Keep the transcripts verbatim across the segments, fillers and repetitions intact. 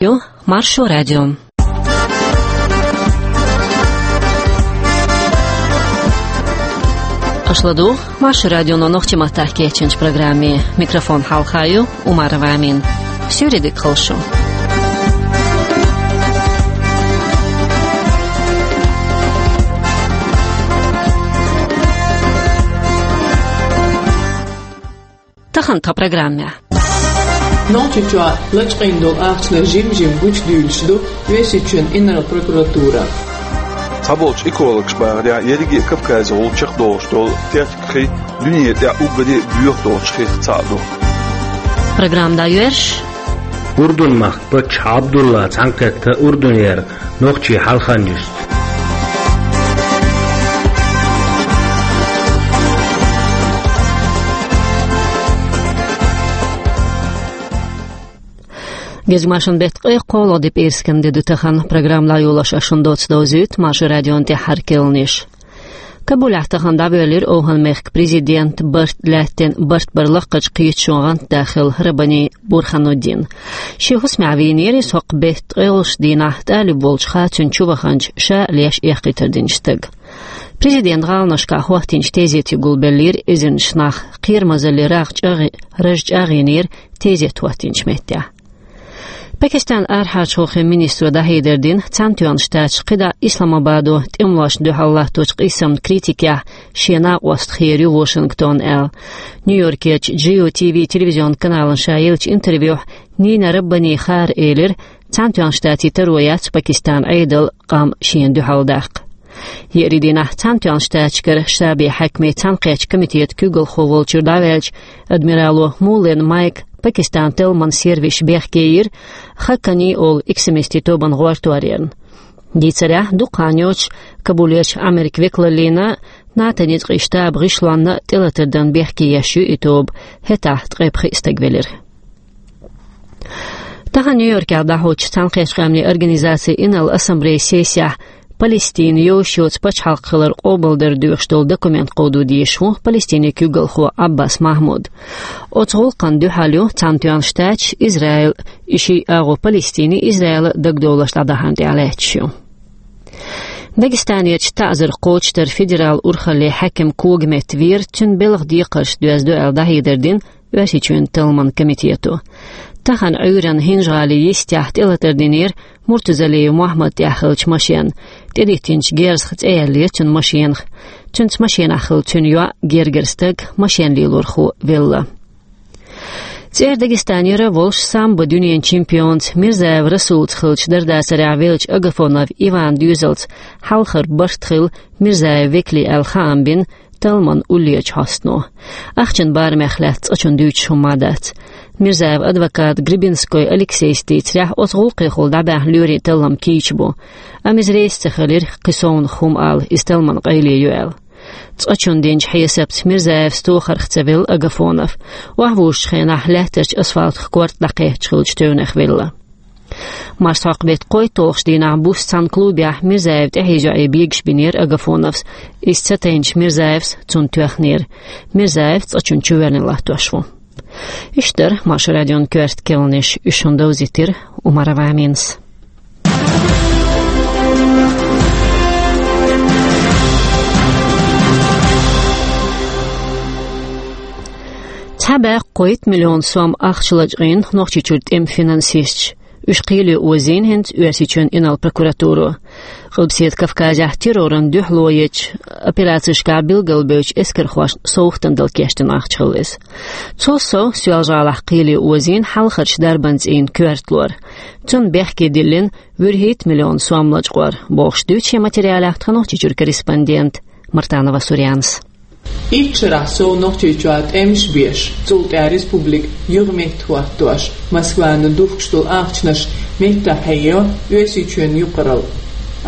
Ю Маршо радио. Аша ладугӀу Маршо радионо нохчийн маттахь кечйинчу программе. Микрофон хьалха ю Умарова Амина. Суьйре дика хуьлда шун. Тахана тхан программехь. Нохчийчохь лачкъийна долу ахчанаш жим-жима гучудуьйлуш ду Оьрсийчоьнан инарла прокуратура. Цхьаболчу экологаша бахарехь, ерриге а Кавказехула чекхдолуш долу техникийн хи дуьненан тӀехь уггаре а доьху долчу хих цхьаъ ду. Программа дӀайоьрзуш. Урдун-махкан паччахь Абдулла цхьаьнакхетта Урдунера нохчийн хьалха-нисдо. Гезгмашин шун беттан ткъе кхоалгӀа де, пӀераскан де ду тахана. Программа дӀайолош ас шуна доцца довзуьйту Маршо радион тӀаьххьара керланаш. Кабулехь тахана дӀавоьллира ОвхӀан-мехкан президент, барт лаьттина барт бар лакхарчу кхеташонан гӀантда хилла Раббани Бурхануддин. Шен хӀусамехь вийнера иза хӀокху беттан ткъолгӀачу дийнахь тӀалиб волчу хацанна чуваханчу, ша а леш, эккхийтар динчу стага. Президентан гӀаланашкахь хӀоттийначу тезете гулбеллера эзарнаш нах, кхерамазаллин рагӀ чӀагӀ-, раж чӀагӀйинера тезет хӀоттийначу меттехь. Пакистанан арахьарчу гӀуллакхийн министро дӀахьедар дина, Цхьаьнатоьхначу Штаташа кхидӀа Исламабадо тӀемалошна дуьхьал латточу къийсамна критикехь шен накъост хир ю Вашингтон аьлла. Нью-Йоркерчу Джио Ти Ви телевизионан каналана ша еллачу интервьюхь Нина Раббани Хаар элира, Цхьаьнатоьхначу Штатийн таро яц Пакистанан Ӏедалан къам шена дуьхьал даккха. Еарин дийнахь Цхьаьнатоьхначу Штаташкара штабийн хьаькамийн цхьаьнакхеттачу комитетан куьйгалхо волчуьра дӀаваьллачу адмирало Муллен Майка Пакистанан Телман сервисаша бехке йира Хаккани олу экстремистийн тобанан гӀорторенна. Дийцарехь, дукха хан йоцуш Кабулерчу Америкин векалаллина, НАТО-н ницкъийн штабан гӀишлонна тӀелатар дан бехке еш ю и тоба, хӀетахь ткъе пхиъ стаг велира. Тахана Нью-Йоркехь дӀахьочу Цхьаьнакхеттачу Къаьмнийн Организацин Инарла Ассамблеян сессехь Палестина йовзуш йоцу пачхьалкх хилар къобалдар доьхуш долу документ кховдо дезаш ву Палестинан куьйгалхо Ӏаббас Махьмуд. Оцу гӀуллакхна дуьхьал ю Цхьаьнатоьхна Штаташ, Израиль, и шиъ агӀо Палестинан, Израилан дагадовларш дӀадахьарна тӀехь лаьтташ ю. Дагестанерчу таӀзар кхочушдаран федералан урхаллин хьаькам когаметта веара, цуьнан белхан декхарш доьзна ду аьлла дӀахьедар дина Оьрсийчоьнан Талламан комитето. Тахана Ӏуьйранна ХӀинжа-ГӀалин йистехь тӀелатар динера Муртузалиев Мохьмадан тӀехь хиллачу машенна. ТӀедиттинчу герзах цӀе яьллера цуьнан машенах. Цуьнца машенахь хилла цуьнан йоӀ, гергара стаг, машен лелорхо велла. ЦӀера Дагестанера волуш самбо дуьненан чемпионца Мирзаев Расулца хиллачу дарбанехь веллачу Агафонов Иванан доьзалца хьалхара барт хилла Мирзаевн векалийн аьлла хаам бина Талламан уллерчу хьостано. Ахчанан барамех лаьцна цкъачунна дуьйцуш хӀумма дац. Мирзаевн адвоката Гребенской Алексейс дийцарехь, оцу гӀуллакхехула дӀабаьхьна лоьрийн таллам кийча бу. Амма иза реза ца хилира кхин совнаха хӀума ала, иза Талламан къайле ю аьлла. Цкъачунна динчу хьесапца Мирзаевс тохарх ца велла Агафонов. Охьавужучу хенахь лаьттарчу асфалтах корта дӀакхетташ хиллачу тевнех велла. Марсхьокху беттан кхойтталгӀачу дийнахь буса цхьана клубехь Мирзаевн тӀаьхьен йоӀе бегаш бинера Агафоновс. Иза ца тайначу Мирзаевс цунна тоьхнера. Мирзаев цкъачунна чувоьллина латтош ву. Уьш дара Маршо радион коьрта керланаш, уьш шуна довзийтира Умарова Аминас. Цхьа бӀе кхойтта миллион сом ахча лачкъийна Нохчийчуьра тӀеман финансисташа. Уьш кхеле озийна хӀинца Оьрсийчоьнан инарла прокуратуро. Къилбаседа Кавказехь террорна дуьхьало ечу операцешкахь билгалбевллачу эскархошна совгӀатана дала кечдина ахча хилла иза. Цул сов, Соьлжа-ГӀалахь кхеле озийна хьалхарчу дарбан цӀийнан коьрта лор. Цунна бехке диллина вуьрхӀитта миллион сом лачкъор, бохуш дуьйцу шен материалехь тхан Нохчийчуьра корреспондента Мартанова Сурьянас. Итт шарахь сов Нохчийчохь тӀемаш беш, цул тӀаьхьа республика юха меттахӀоттош, Москвана духкуш долу ахчанаш меттахъхьейо Оьрсийчоьнан юкъаралла.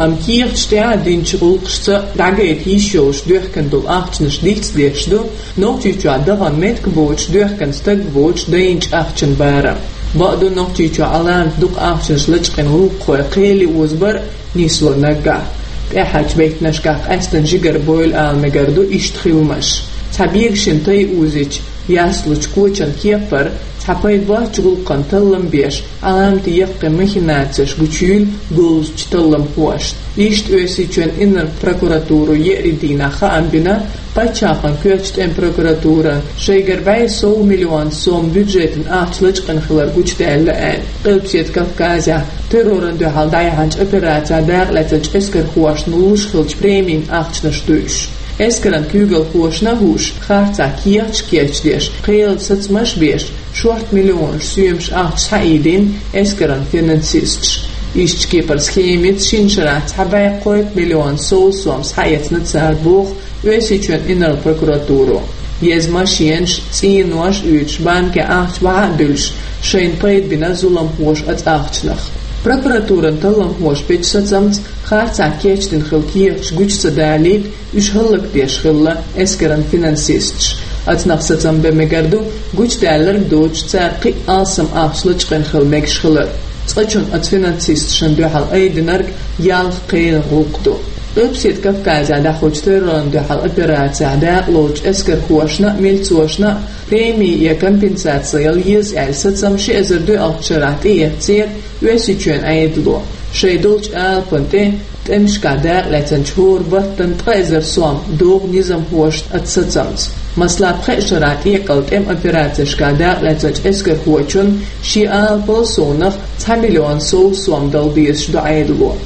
Амма кехаташ тӀехь а динчу гӀуллакхашца дӀагайта йиш йолуш доьхкина долу ахчанаш дицдеш ду Нохчийчохь дахана меттиг боцуш, доьхкина стаг воцуш дайначу ахчанан барам. Бакъду, Нохчийчохь Ӏаламат дукха ахчанаш лачкъийна гӀуллакххой кхеле озабар нисло наггахь. ТӀаьхьарчу беттанашкахь къаьстина жигара бойла ала мегар ду иштта хиламаш. Цхьа бегашина тай озийча, Яслучу кочан кепара цхьа пайда боцчу гӀуллакхана таллам беш, Ӏаламате яккхий махинацеш гучуйийла говзачу талламхошна. Иштта Оьрсийчоьнан инарла прокуратуро еарин дийнахь хаам бина, пачхьалкхан коьртачу тӀеман прокуратурана шайгара бӀе сов миллион сом бюджетан ахча лачкъийна хилар гучудаьлла аьлла. Къилбаседа Кавказехь террорна дуьхьал дӀаяьхьначу операцехь дакъалаьцначу эскархошна луш хиллачу премийн ахчанаш ду уьш. Эскаран куьйгалхошна а хууш, харцахь кехаташ кечдеш, кхелан сацамаш а беш, шорта миллионаш соьмаш ахча схьаийдина эскаран финансисташа. Иштта кепара схемица шина шарахь цхьа бӀе кхойтта миллион сов сом схьаэцна цара, боху Оьрсийчоьнан инарла прокуратуро. Еза машенаш, цӀенош а оьцуш, банкехь ахча бахьа а буьллуш, шайна пайда бина зуламхоша оцу ахчанах. Прокуратуран талламхоша бечу сацамца харцахь кечдина хилла кехаташ гучу ца далийта, уьш хӀаллакдеш хилла эскаран финансисташ. Оцунах сацам бан мегар ду, гучудаьлларг доцуш, цара кхин а алсам ахча лачкъийна хила мегаш хилар. Цкъачунна оцу финансисташна дуьхьал айдинарг ялх кхелан гӀуллакх ду. Къилбаседа Кавказехь дӀахьочу террорна дуьхьал операцехь дакъалоцучу эскархошна а, милцошна а преми я компенсаци яла еза аьлла сацам ши эзар доьалгӀачу шарахь тӀеэцнера Оьрсийчоьнан Ӏедало. Шайн долчу алапана тӀе тӀемашкахь дакъалаьцначу хӀора баттана ткъа эзар сом догӀу низамхошна оцу сацамца. Масала, пхеа шарахь тӀекъала тӀеман операцешкахь дакъалаьцначу эскархочунна шен алапал совнах цхьа миллион сов сом дала дезаш ду Ӏедало.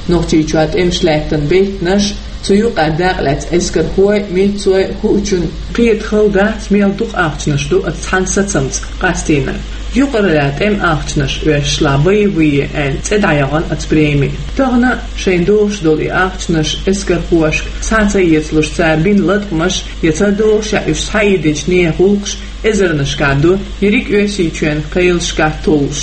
Нохчийчохь тӀемаш лаьттина беттанаш, цу юкъахь дакъалаьцна эскархой, милцой хуучунна кхета хала дац, мел дукха ахчанаш ду оцу цхьана сацамца къастийнарг. Юкъаралла тӀеман ахчанаш оьшуш лан боевые аьлла цӀе дӀаяхана оцу премина. Тахана шайна догӀуш долу и ахчанаш эскархошка схьа ца эцалуш, цара бина латкъамаш я ца догӀуш, я уьш схьаийдинчу нехан гӀуллакхаш эзарнашкахь ду, ерриг Оьрсийчоьнан кхелашкахь толлуш.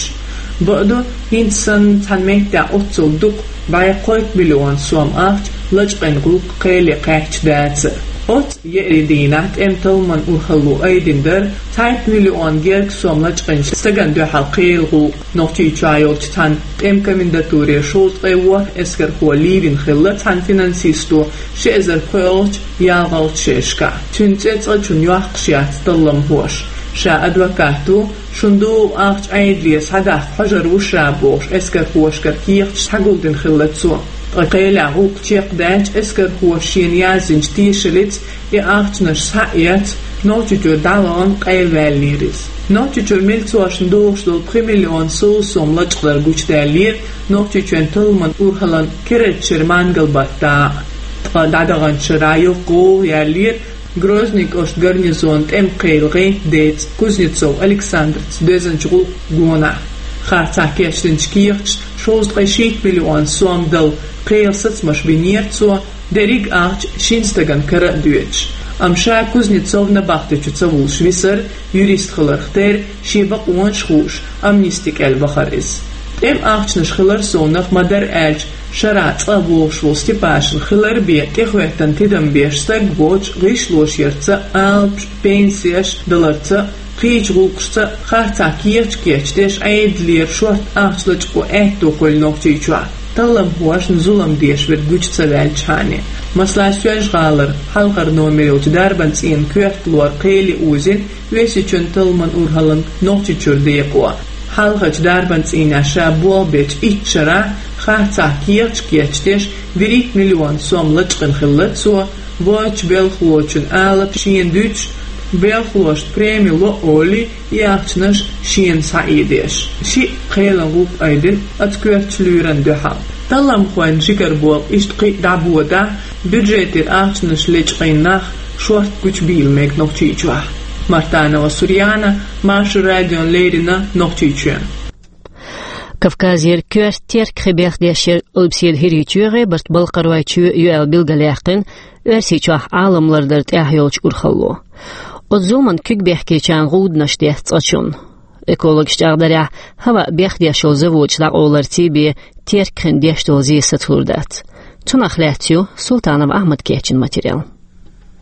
Бакъду, хӀинца санна цхьана меттехь оццул дукха, бӀе кхойтта миллион сом ахча лачкъийна гӀуллакх кхеле кхаьчча дацара. Оцу еарин дийнахь тӀеман талламан урхалло айдина дара цхьайтта миллион герга сом лачкъийначу стагана дуьхьал кхелан гӀуллакх. Нохчийчохь йолчу цхьана тӀеман комендатуре шовзткъе ворхӀ эскархо лийвина хилла цхьана финансисто ши эзар пхоьалгӀачу, ялхалгӀачу шерашкахь. Цуьнан цӀе цкъачунна йоккхуш яц талламхоша. Ша адвокат ву, шуна догӀу ахча Ӏедалера схьадаккха хьожур ву ша, бохуш, эскархошкара кехаташ схьагулдина хилла цо. Ткъа кхелехь гӀуллакх чекхдаьлча, эскархоша шена яздинчу тешаллица и ахчанаш схьа а эцна, Нохчийчуьра дӀавахана къайлаваьллера иза. Нохчийчуьра милцошна догӀуш долу пхи миллион сов сом лачкъадар гучудаьллера Нохчийчоьнан талламан урхаллин керардачу шеран мангал-баттахь. Ткъа дӀадаханчу шарахь йоккха гӀовгӀа яьллера Грозный кӀоштан гарнизонан тӀеман кхелан гӀентан деца Кузнецов Александрца доьзначу гӀуллакхан гонахь. Харцахь кечдинчу кехаташна шовзткъе шийтта миллион сом дала кхелан сацамаш бинера цо, дерриг а ахча шина стагана кара а доьдуш. Амма ша Кузнецов набахтечу ца вуллуш висар, юрист хиларх терра, шен бакъонаш а хууш, амнисти кӀел вахара иза. ТӀеман ахчанаш хилар совнах, ма-дарра аьлча, шарахь цкъа вогӀуш волу Степашин хилар бен тӀехӀоьттина тидам беш стаг воцуш, гӀишлош ярца, алапаш, пенсеш даларца, кхечу гӀуллакхашца харцахь кехаташ кечдеш, Ӏедалера шорта ахча лачкъо аьтто хуьлу Нохчийчохь, талламхошна зулам деш верг гучу ца ваьллачхьана. Масала, Соьлжа-ГӀалара хьалхара номер йолчу дарбан цӀийнан коьрта лор кхеле озийна Оьрсийчоьнан талламан урхаллин Нохчийчуьра декъо. Хьалхарчу дарбан цӀийнехь ша болх бечу итт шарахь харцахь кехаташ кечдеш, вуьрхӀитта миллион сом лачкъийна хилла цо, воцчу белхалочун алапаш шена дуьтуш, белхалошна преми ло а олий, и ахчанаш шена схьаийдеш. Шиъ кхелан гӀуллакх айдина оцу коьртачу лоьран дуьхьал. Талламхойн жигара болх иштта кхин а дӀабодахь, бюджетера ахчанаш лечкъийна нах шорта гучубийла мега Нохчийчохь. Мартанова Сурьяна, Маршо радиона леррина, Нохчийчоь. Кавказера коьрта Теркахи бехдеш яра Къилбаседа ХӀирийчоьгӀи, барт Балкхаройчоь ю аьлла билгалъяьккхина Оьрсийчохь Ӏалам лардар тӀехь йолчу урхалло. Оцу зуламна куьг бехкечарна гӀуданаш деттина цкъачунна. Экологаш чӀагӀдарехь, хӀаваъ бехдеш йолу заводаш дӀакъовларций бен Теркахина деш долу зе сацалур дац. Цунах лаьцна ю Султанов Ахьмада кечйина материал.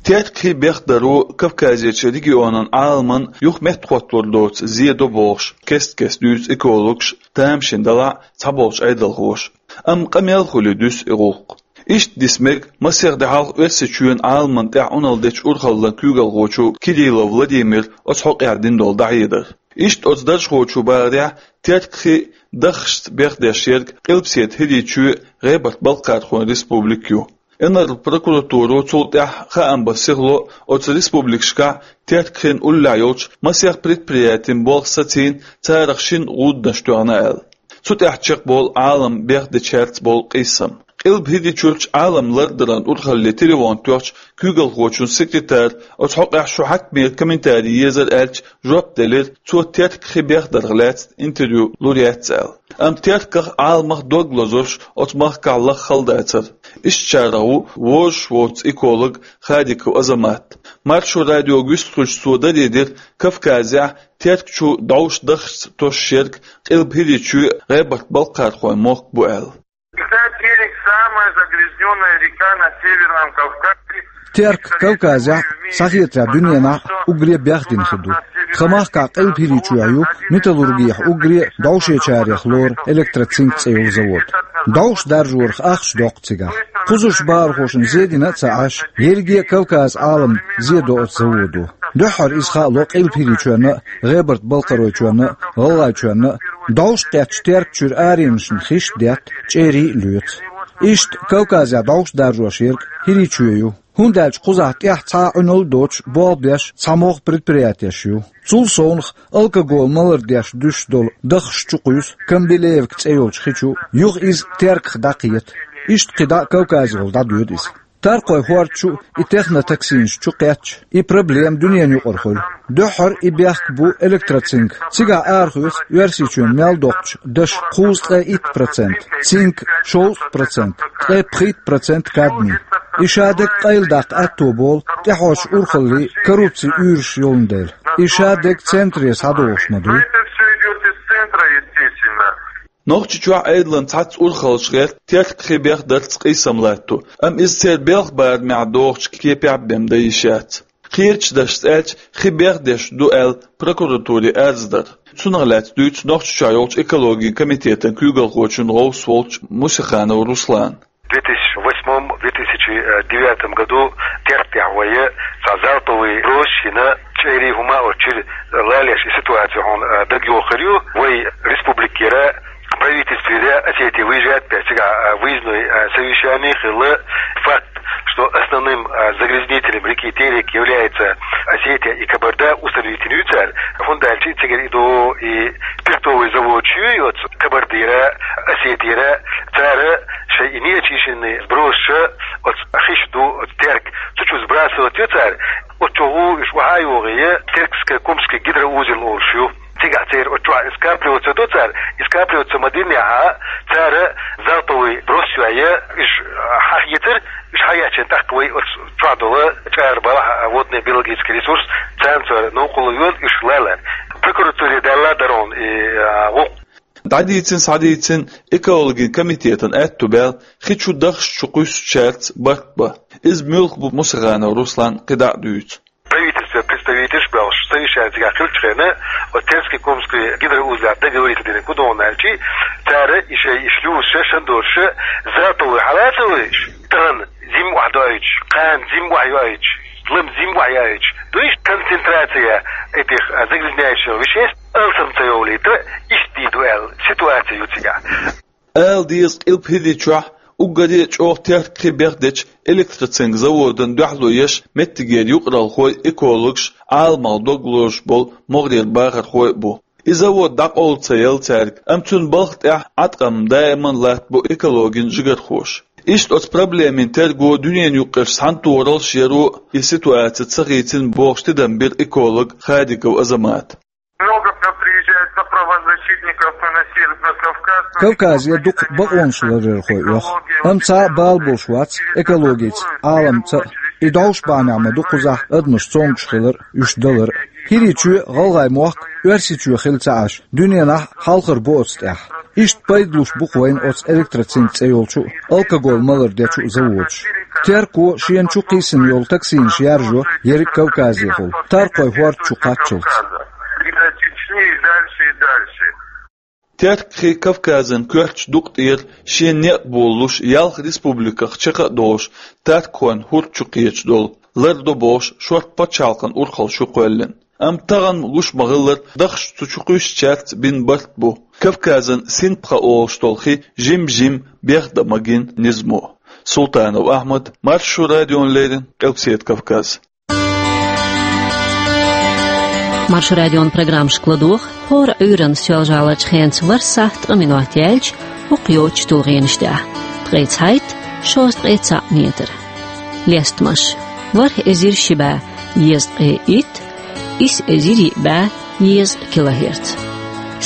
Теркахи бехдархо Кавказерчу регионан Ӏаламан юха меттахӀотталур доцу зе до бохуш, кест-кеста дуьйцу экологаша тамашийна далахь а цхьаболчу Ӏедалхоша. Амма къамел хуьлий дуьсу и гӀуллакх. Иштта диса мега масех де хьалха Оьрсийчоьнан Ӏаламна тӀехь Ӏуналла дечу урхаллин куьйгалхочо Кириллов Владимира оцу хьокъехь дина долу дӀахьедар. Иштта оцу даржхочо бахарехь, Терк хи даххашца бехдеш ерг Къилбаседа ХӀирийчоь, ГӀебарта-Балкхархойн республика ю. Инарла прокуратуро цул тӀаьхьа хаам бан сихло оцу республикашкахь Терк хин уллехь йолчу масех предприятин болх сацийна, царах шина гӀудданаш тоьхна аьлла. Цу тӀехь чекхболу Ӏалам бехдечаьрца болу къийсам. Къилба-ХӀирийчуьрчу Ӏалам лардаран урхалле телефон тоьхча, куьйгалхочун секретара оцу хьокъехь шун хьаькамера комментари езар аьлча, жоп делира, цо Терк хи бехдарх лаьцна интервью лур яц аьлла. Амма Терках, Ӏаламах дог лозурш оцу махкахь лаха хала дацара. Ишттачарах ву вожаш воцу эколог Хадиков Азамат. Маршо радиога вистхуьлуш цо даре дира, Кавказехь Терк чу дӀовш даххашца тосуш ерг Къилба-ХӀирийчоь, ГӀебарта-Балкхархойн мохк бу аьлла. Всегда Терек самая загрязнённая река на Северном Кавказе. Терк Кавказехь, схьахетарехь, дуьненахь уггаре бехдина хи ду. Тхан махкахь Къилба-ХӀирийчоь ю металлургехь уггаре дӀовшечарех лору Электроцинк цӀе йолу завод. ДӀовш даржорах ахча доккху цигахь. Кхузарчу бахархошна зе дина а ца Ӏаш, ерриге а Кавказан Ӏалам зе до оцу заводо. Дуьххьара иза хаало Къилба-ХӀирийчоьнна а, ГӀебарта-Балкхаройчоьнна а, ГӀалгӀайчоьнна а. ДӀовш кхеттачу Терк чуьра аренашна хиш а детта, чӀерий а лоьцу. Иштта Кавказехь дӀовш даржош ерг ХӀирийчоь ю. ХӀунда аьлча кхузахь тӀехь цхьа а Ӏуналла а доцуш, болх беш цхьа могӀа предприятеш ю. Цул совнаха алкоголан малар деш дуьсуш долу даххаш чу кхуьйсу Камбилеевка цӀе йолчу хи чу, юха иза Терках дӀакхета. Иштта кхидӀа а Кавказехула дӀадоьду иза. Таркхойн хӀорда чу и технотоксинаш чу кхетча, и проблема дуьненан юкъара хуьлу. Дуьххьара и бехк бу Электроцинк. Цигахь арахоьцу Оьрсийчоьнан мел доккхучу дашан кхузткъе итт процент, цинкан шовзткъа процент, ткъе пхийтта процент кадмий. И шадерг къайладаккха аьтто болу тӀаьхьарчу урхаллийн коррупцин уьйраш йолун дела. И шадерг центре схьадогӀуш ма дуй. Это всё идёт из центра, естественно. Нохчийчохь Ӏедалан цхьацца урхаллаш гӀерта Терк хи бехдарца къийсам латто, амма иза церан белхан барамехь догӀучу кепехь бен дан йиш яц. Кхечу дашца аьлча, хи бехдеш ду аьлла прокуратуре арз дар. Цунах лаьцна дуьйцу Нохчийчохь йолчу экологин комитетан куьйгалхочун гӀовс волчу Мусиханов Руслана. В две тысячи восьмом, две тысячи девятом году Терк тӀехь вай цхьа залповый брос йина, чӀерий хӀума оцу чуьра лалеш и ситуаци хьуна дагайохур ю. Вай республикера, правительствера Осетия выезжает, цигахь выездной совещание хилла. Факт, что основным загрязнителем реки Терек является Осетия и Кабарда, установить йина ю цара. ХӀунда аьлча цигара и ду и спиртовый завод ю оцу Кабардера, Осетера, цара шайн и неочищенный сбросаш оцу хиш ду, оцу Терк, цу чу сбрасывать йо цара. Оцу чу гӀу уьш охьа а йогӀий, Теркско-Кумский гидроузел олуш ю. Цигахь церан оцу чохь и скапливаться до цара, и скапливаться ма динехь, цара залповый брос йой, уьш хьахецар, уьш хьаеччина тӀаккха вай оцу чохь долу чӀара балахь, водный биологический ресурс, царна цара новкъарло йо, уьш лалар. Прокуратуре даьлла дара хьуна и гӀуллакх. ДӀадийцина, схьадийцина экологин комитетан аьтту баьлла, хи чу даххаш чу кхуьссучаьрца барт бан. Иза муьлха бу Мусиханов Руслана кхидӀа а дуьйцу. Правительстве представителаш боьлхуш совещани цигахь хиллачу хенахь, оцу Теркско-Кумский гидроузлехь договориться динарг хӀун ду аьлча, цара и шайн и шлюзаш, шандораш, залповый хьалацавеш, тахана зима охьадоуьйтуш, кхана зима охьайоуьйтуш, лама зима охьаяуьйтуш, дуьйш концентрация этих загрязняющих веществ алсам ца йовлийта, иштта дийр ду аьлла ситуаци ю цигахь. Ала деза, Къилба-ХӀирийчохь уггаре а чӀогӀа Терк хи бехдечу Электроцинк заводан дуьхьало еш меттигера юкъаралхой, экологаш, Ӏаламах дог лозуш болу могӀарера бахархой а бу. И завод дӀакъовла ца елла цаьрга, амма цуьнан балха тӀехь Ӏаткъам даиман латтабо экологин жигархоша. Иштта оцу проблемин терго, дуьненан юккъерчу цхьаьнатохараллаш яро и ситуаци ца хийцина бохуш тидам бира эколог Хадиков Азамата. Много к нам приезжает на правозащитников на Северный Кавказ, но Кавказе дукха бакъонаш ларъярхой оьху, амма цхьа а бала болуш вац экологица, Ӏаламца а. И дӀовш бахьанехь ма ду кхузахь адамаш цомгуш хилар а, уьш далар а. ХӀирийчоь, ГӀалгӀай мохк Оьрсийчоь хилла ца Ӏаш, дуьненахь хьалхара бу оцу тӀехь. Иштта пайда луш бу-кх вайна оцу Электроцинк цӀе йолчу а, алкоголан малар дечу а заводаш. Терко шена чу кхийсина йолу токсинаш яржо ерриг Кавказехула, Таркхойн хӀорда чу кхаччалц. И до Чечни, и дальше, и дальше. Теркахи Кавказан коьртачу дукъа тӀера шен некъ болалуш, ялх республиках чекх а долуш, Таркхойн хӀурд чу кхеташ долу, лардо бохуш, шорта пачхьалкхан урхалла шу кхоьллина. Амма тахана луш ма-хиллара, дахча цу чу кхуьссучаьрца бина барт бу. Кавказан Синпха олуш долу хи жим-жим бехдан магийна низамо. Султанов Ахьмад, Маршо радиона леррина, Къилбаседа Кавказ. Маршо радион программашка ладогӀа хӀора Ӏуьйранна Соьлжа-ГӀаларчу хенца ворхӀ сахьт ткъа минот яьлча, хӀокху йоцучу тулгӀенаш тӀехь. Ткъе цхьайтта, шовзткъе цхьаъ метр. Лестамаш: ворхӀ эзар ши бӀе езткъе итт, исс эзар йиъ бӀе езткъа килогерц.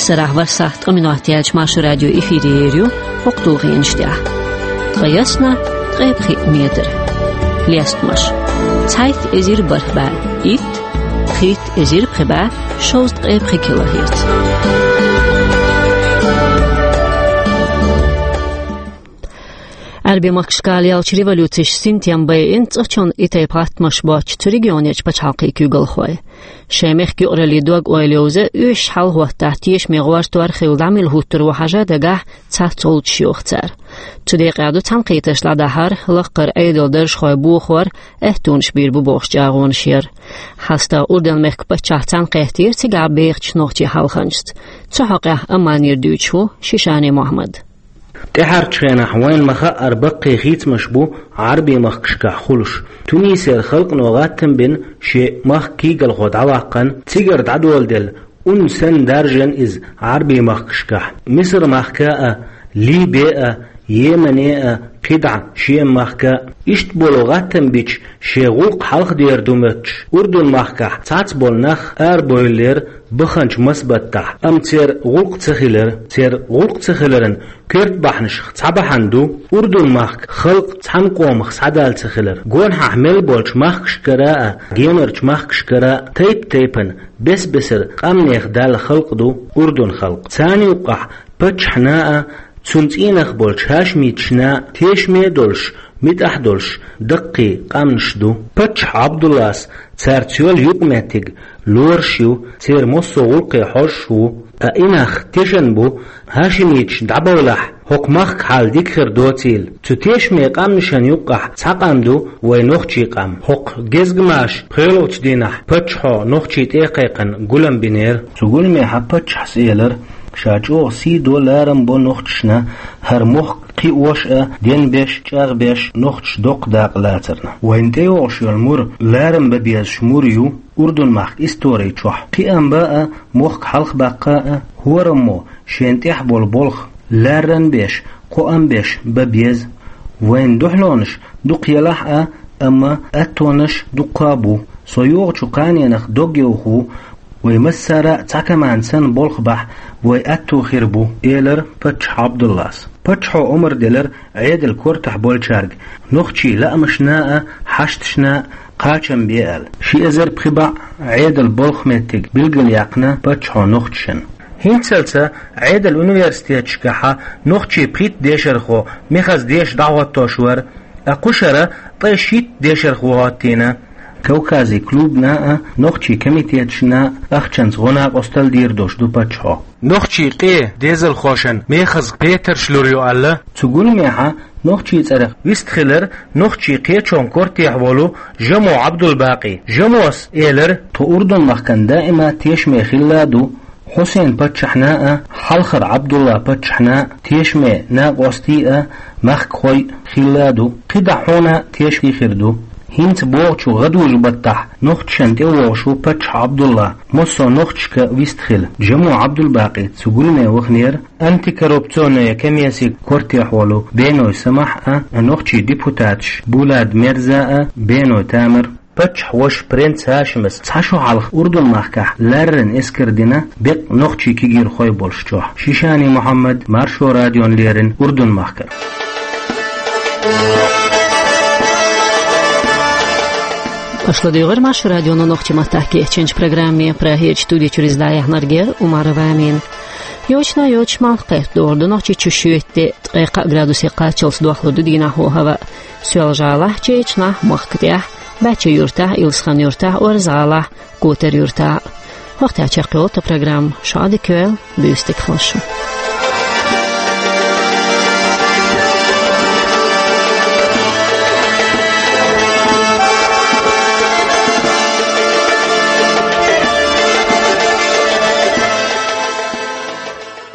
Сарахь ворхӀ сахьт ткъа минот яьлча Маршо радио эфире ер ю хӀокху тулгӀенаш тӀехь. Ткъе ялх, ткъе пхиъ метр. Лестамаш: цхьайтта эзар бархӀ бӀе итт, пхийтта эзар пхи бӀе шовзткъе пхи килогерц. Ӏаьрбийн махкашкахь леллачу революцеша синтем байина цӀа чунна и тайпа гӀаттамаш боцчу цу регионерчу пачхьалкхийн куьйгалхой. Шайн мехкан юкъараллин дог-ойла йовза, оьшуш хьалахӀоттахь тешаме гӀортор хилла дӀа мила хӀуттур ву хьажа дагахь цхьацца гӀулчаш йоху цара. Цу декъехь ду цхьаьнакхетарш дӀадахьар, лаккхара Ӏедалан даржхой бохор, аьттонаш бийр бу бохуш чӀагӀонаш яр. ХьастагӀа Урдан-мехкан паччахь цхьаьнакхеттера цигахь бехачу нохчийн хьалханчашца. Цу хьокъехь Амманера дуьйцуш ву Шишани Мохьмад. ТӀаьхьарчу хенахь вайна ма-хаъара баккхий хийцамаш бу Ӏаьрбийн махкашкахь хуьлуш. Тунисера халкъано гӀаттам бина шен махкан куьйгалхо дӀаваккхана, цигара дӀадоладелла, ун санна даржана иза Ӏаьрбийн махкашкахь, Мисар-махка а, Либе а, Йемене а, кхидӀа Шема-махка а. Иштта болу гӀаттам бича, шен гӀуллакх хьалхадер ду моьттуш, Урдун-махкахь цхьацца болу нах арабевллера баханчу маса баттахь, амма церан гӀуллакх ца хилира. Церан гӀуллакх ца хиларан коьрта бахьанашах цхьа бахьана ду Урдун-махкан халкъ цхьана къомах схьадала ца хилар. Гонахьа мел болчу махкашкара а, генарчу махкашкара а тайп-тайпана, бес-бесара къаьмнех даьлла халкъ ду Урдун халкъ. Царна юккъехь паччахьна а, цуьнан цӀийнах болчу хьаьшмиташна а тешаме а долуш, муьтӀахь а долуш даккхий къаьмнаш ду. Паччахь Ӏабдуллас цаьрца йолу юкъаметтиг лоруш ю, церан массо а гӀуллакхе хьожуш ву, ткъа и нах тешна бу, хьаьшмиташ дӀабовлахь, хӀокху махкан хьал дика хир доцийла. Цу тешаме къаьмнашна юккъехь цхьа къам ду вайн нохчийн къам. ХӀокху гезгамаша пхоьалгӀачу дийнахь паччахьо нохчийн тӀе а кхайкхина гулам бинера. Цу гуламехь паччахьас элира, ша чӀогӀа сий до, ларам бо нохчашна, хӀара мохк кхиош а, денбеш, чӀагӀбеш нохчаша доккха дакъа лацарна. Вайна тӀейогӀуш йолу мур ларам бан безаш мур ю Урдун-махкан истори чохь. Кхиам бан а, мохк хьалхабаккха а, хӀораммо шена тӀехь болу болх ларран беш, кхоам беш бан беза. Вайн дуьхьалонаш дукха елахь а, амма аттонаш дуккха а бу. Со йогӀучу кханенах дог йовха ву, вай массара а цхьа команда санна болх бахь, вай атто хир бу, элира паччахь Ӏабдуллас. Паччахьо омра делира Ӏедалан кортахь болчаьрга нохчийн лаамашна а, хьашташна а кхачам бе аьлла. Ши эзар пхи бӀе Ӏедалан болх меттиг билгалъяьккхина паччахьо нохчашна. ХӀинццалц Ӏедалан университеташкахь нохчийн пхийтта дешархо мехаза деша дӀахӀоттош вара, ткъа кхушара ткъе шийтта дешархо хӀоттийна. Кавказан клубна а нохчийн комитеташна а ахчанца гӀо-накъостал дийр долуш ду паччахьо. Нохчийн къен дезалхошна мехаза петарш лур ю аьлла. Цу гуламехь нохчийн цӀарах вистхилира нохчийн кхечун кортехь волу Жамо Ӏабдулбакъи. Жамос элира: тхо Урдун-махкана даима тешаме хилла а ду, Хьусен-паччахьна а, хьалхара Ӏабдулла-паччахьна а тешаме накъостий а, махкахой а хилла а ду, кхидӀа хьуна а тешаме хир ду. ХӀинца богӀучу гӀадужу-баттахь нохчашна тӀевогӀуш ву паччахь Ӏабдулла, массо а нохчашка вистхила. Жамо Ӏабдулбакъи цу гуламе ваханера, антикоррупционная комиссин кортехь волу Беной Самахь а, нохчийн депутаташ Булат Мерза а, Беной Тамар. Паччахьан вашас принц Хашимас цхьа шо хьалха Урдун-махкахь ларран эскар дина, беккъа нохчийн кегийрхой болуш чохь. Шишани Мухьаммад, Маршо радиона леррина, Урдун-махкара. Аша ладуьйгӀира Маршо радион нохчийн маттахь кечйинчу программе. Прагерчу студи чуьра иза дӀаяьхьнарг яра Умарова Амина. Йочана йоцуш малх кхетта догӀур ду Нохчийчу, шоьтан де ткъе кхаа градусе кхаччалц дохлур ду дийнахь хӀаваъ. Соьлжа-ГӀалахь, Чечнахь, Махка тӀехь, Бача-Юьртахь, Илсхан-Юьртахь, Орза-ГӀалахь, Котар-Юьртахь. ХӀокху тӀехь чекхйолу тхан программа. Шу Ӏадика йойла, буьйса дика хуьлда шун.